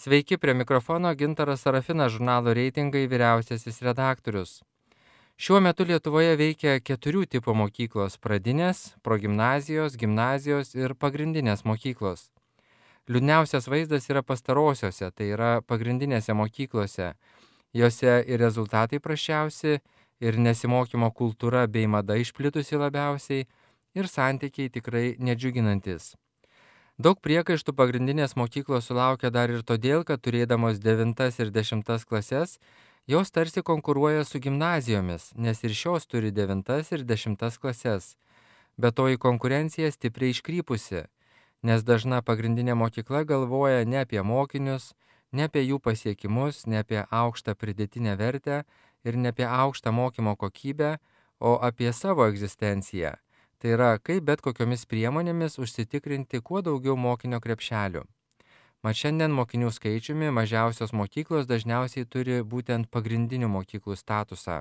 Sveiki, prie mikrofono Gintaras Sarafinas, žurnalo Reitingai vyriausiasis redaktorius. Šiuo metu Lietuvoje veikia 4 tipų mokyklos – pradinės, progimnazijos, gimnazijos ir pagrindinės mokyklos. Liūdniausias vaizdas yra pastarosiose, tai yra pagrindinėse mokyklose. Jose ir rezultatai prasčiausi, ir nesimokymo kultūra bei mada išplitusi labiausiai, ir santykiai tikrai nedžiuginantis. Daug priekaištų pagrindinės mokyklos sulaukia dar ir todėl, kad turėdamos 9 ir 10 klases, jos tarsi konkuruoja su gimnazijomis, nes ir šios turi 9 ir 10 klases. Bet to į konkurenciją stipriai iškrypusi, nes dažna pagrindinė mokykla galvoja ne apie mokinius, ne apie jų pasiekimus, ne apie aukštą pridėtinę vertę ir ne apie aukštą mokymo kokybę, o apie savo egzistenciją. Tai yra, kaip bet kokiomis priemonėmis užsitikrinti kuo daugiau mokinio krepšelių. Mat šiandien mokinių skaičiumi mažiausios mokyklos dažniausiai turi būtent pagrindinių mokyklų statusą.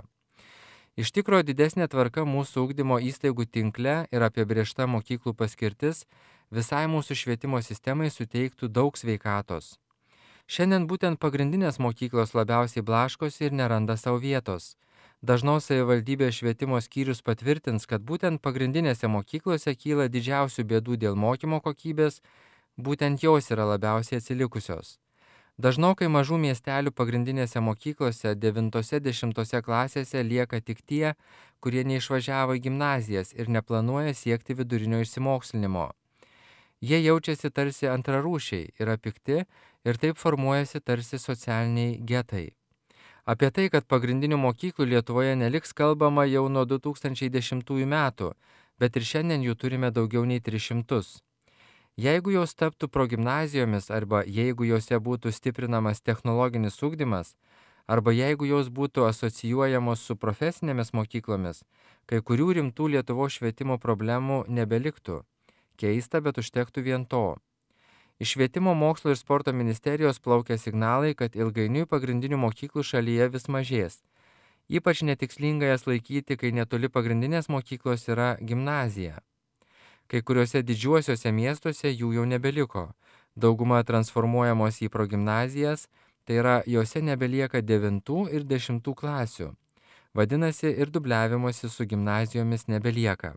Iš tikro didesnė tvarka mūsų ugdymo įstaigų tinkle ir apibrėžta mokyklų paskirtis visai mūsų švietimo sistemai suteiktų daug sveikatos. Šiandien būtent pagrindinės mokyklos labiausiai blaškosi ir neranda savo vietos. Dažnos savivaldybės švietimo skyrius patvirtins, kad būtent pagrindinėse mokyklose kyla didžiausių bėdų dėl mokymo kokybės, būtent jos yra labiausiai atsilikusios. Dažnokai mažų miestelių pagrindinėse mokyklose 9-10 klasėse lieka tik tie, kurie neišvažiavo į gimnazijas ir neplanuoja siekti vidurinio išsimokslinimo. Jie jaučiasi tarsi antrarūšiai, yra pikti ir taip formuojasi tarsi socialiniai getai. Apie tai, kad pagrindinių mokyklų Lietuvoje neliks kalbama jau nuo 2010 metų, bet ir šiandien jų turime daugiau nei 300. Jeigu jos taptų progimnazijomis arba jeigu jose būtų stiprinamas technologinis ugdymas, arba jeigu jos būtų asocijuojamos su profesinėmis mokyklomis, kai kurių rimtų Lietuvos švietimo problemų nebeliktų. Keista, bet užtektų vien to. Iš Švietimo mokslo ir sporto ministerijos plaukia signalai, kad ilgainiui pagrindinių mokyklų šalyje vis mažės. Ypač netikslinga jas laikyti, kai netoli pagrindinės mokyklos yra gimnazija. Kai kuriuose didžiuosiuose miestuose jų jau nebeliko. Dauguma transformuojamos į progimnazijas, tai yra jose nebelieka 9 ir 10 klasių. Vadinasi, ir dubliavimosi su gimnazijomis nebelieka.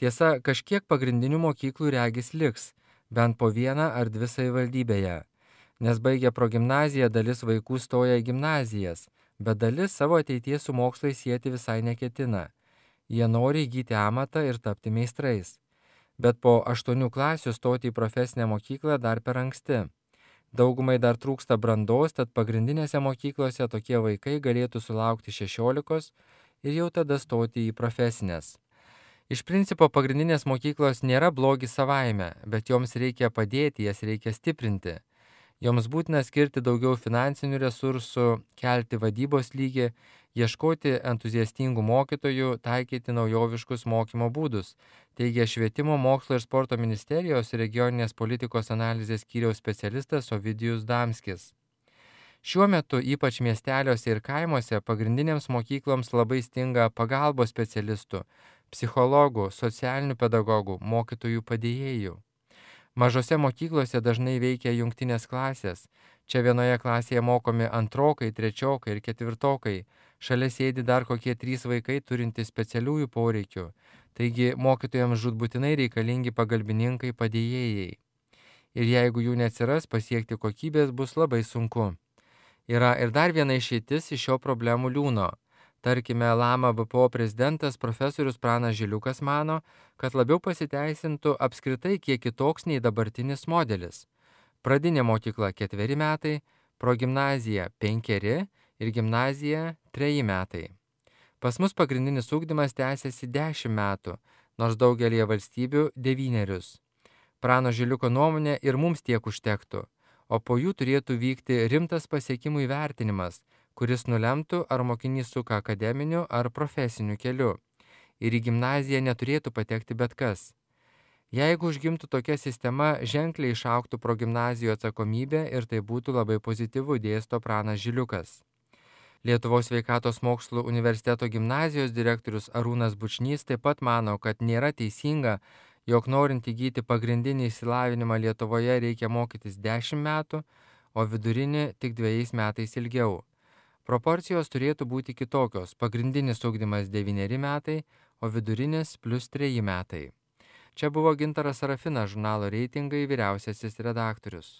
Tiesa, kažkiek pagrindinių mokyklų regis liks, bent po vieną ar 2 savivaldybėje, nes baigę progimnaziją dalis vaikų stoja į gimnazijas, bet dalis savo ateities su mokslais sieti visai neketina. Jie nori įgyti amatą ir tapti meistrais. Bet po 8 klasių stoti į profesinę mokyklą dar per anksti. Daugumai dar trūksta brandos, tad pagrindinėse mokyklose tokie vaikai galėtų sulaukti 16 ir jau tada stoti į profesinės. Iš principo pagrindinės mokyklos nėra blogis savaime, bet joms reikia padėti, jas reikia stiprinti. Joms būtina skirti daugiau finansinių resursų, kelti vadybos lygį, ieškoti entuziastingų mokytojų, taikyti naujoviškus mokymo būdus, teigia Švietimo mokslo ir sporto ministerijos regioninės politikos analizės skyriaus specialistas Ovidijus Damskis. Šiuo metu ypač miesteliuose ir kaimuose pagrindinėms mokykloms labai stinga pagalbos specialistų, psichologų, socialinių pedagogų, mokytojų padėjėjų. Mažose mokyklose dažnai veikia jungtinės klasės. Čia vienoje klasėje mokomi antrokai, trečiokai ir ketvirtokai. Šalia sėdi dar kokie 3 vaikai turintys specialiųjų poreikių. Taigi mokytojams žūtbūtinai reikalingi pagalbininkai padėjėjai. Ir jeigu jų neatsiras, pasiekti kokybės bus labai sunku. Yra ir dar viena išeitis iš šio problemų liūno. Tarkime, Lama BPO prezidentas profesorius Pranas Žiliukas mano, kad labiau pasiteisintų apskritai kiek kitoks nei dabartinis modelis. Pradinė mokykla 4 metai, progimnazija 5 ir gimnazija 3 metai. Pas mus pagrindinis ugdymas tęsiasi 10 metų, nors daugelėje valstybių 9. Prano Žiliuko nuomonė ir mums tiek užtektų, o po jų turėtų vykti rimtas pasiekimų įvertinimas, kuris nulemtų, ar mokinys suka akademiniu ar profesiniu keliu. Ir į gimnaziją neturėtų patekti bet kas. Jeigu užgimtų tokia sistema, ženkliai išaugtų progimnazijų atsakomybė ir tai būtų labai pozityvu, dėsto Pranas Žiliukas. Lietuvos sveikatos mokslų universiteto gimnazijos direktorius Arūnas Bučnys taip pat mano, kad nėra teisinga, jog norint įgyti pagrindinį išsilavinimą Lietuvoje reikia mokytis 10 metų, o vidurinį tik 2 metais ilgiau. Proporcijos turėtų būti kitokios: pagrindinis ugdymas 9 metai, o vidurinis +3 metai. Čia buvo Gintaras Sarafinas, žurnalo Reitingai vyriausiasis redaktorius.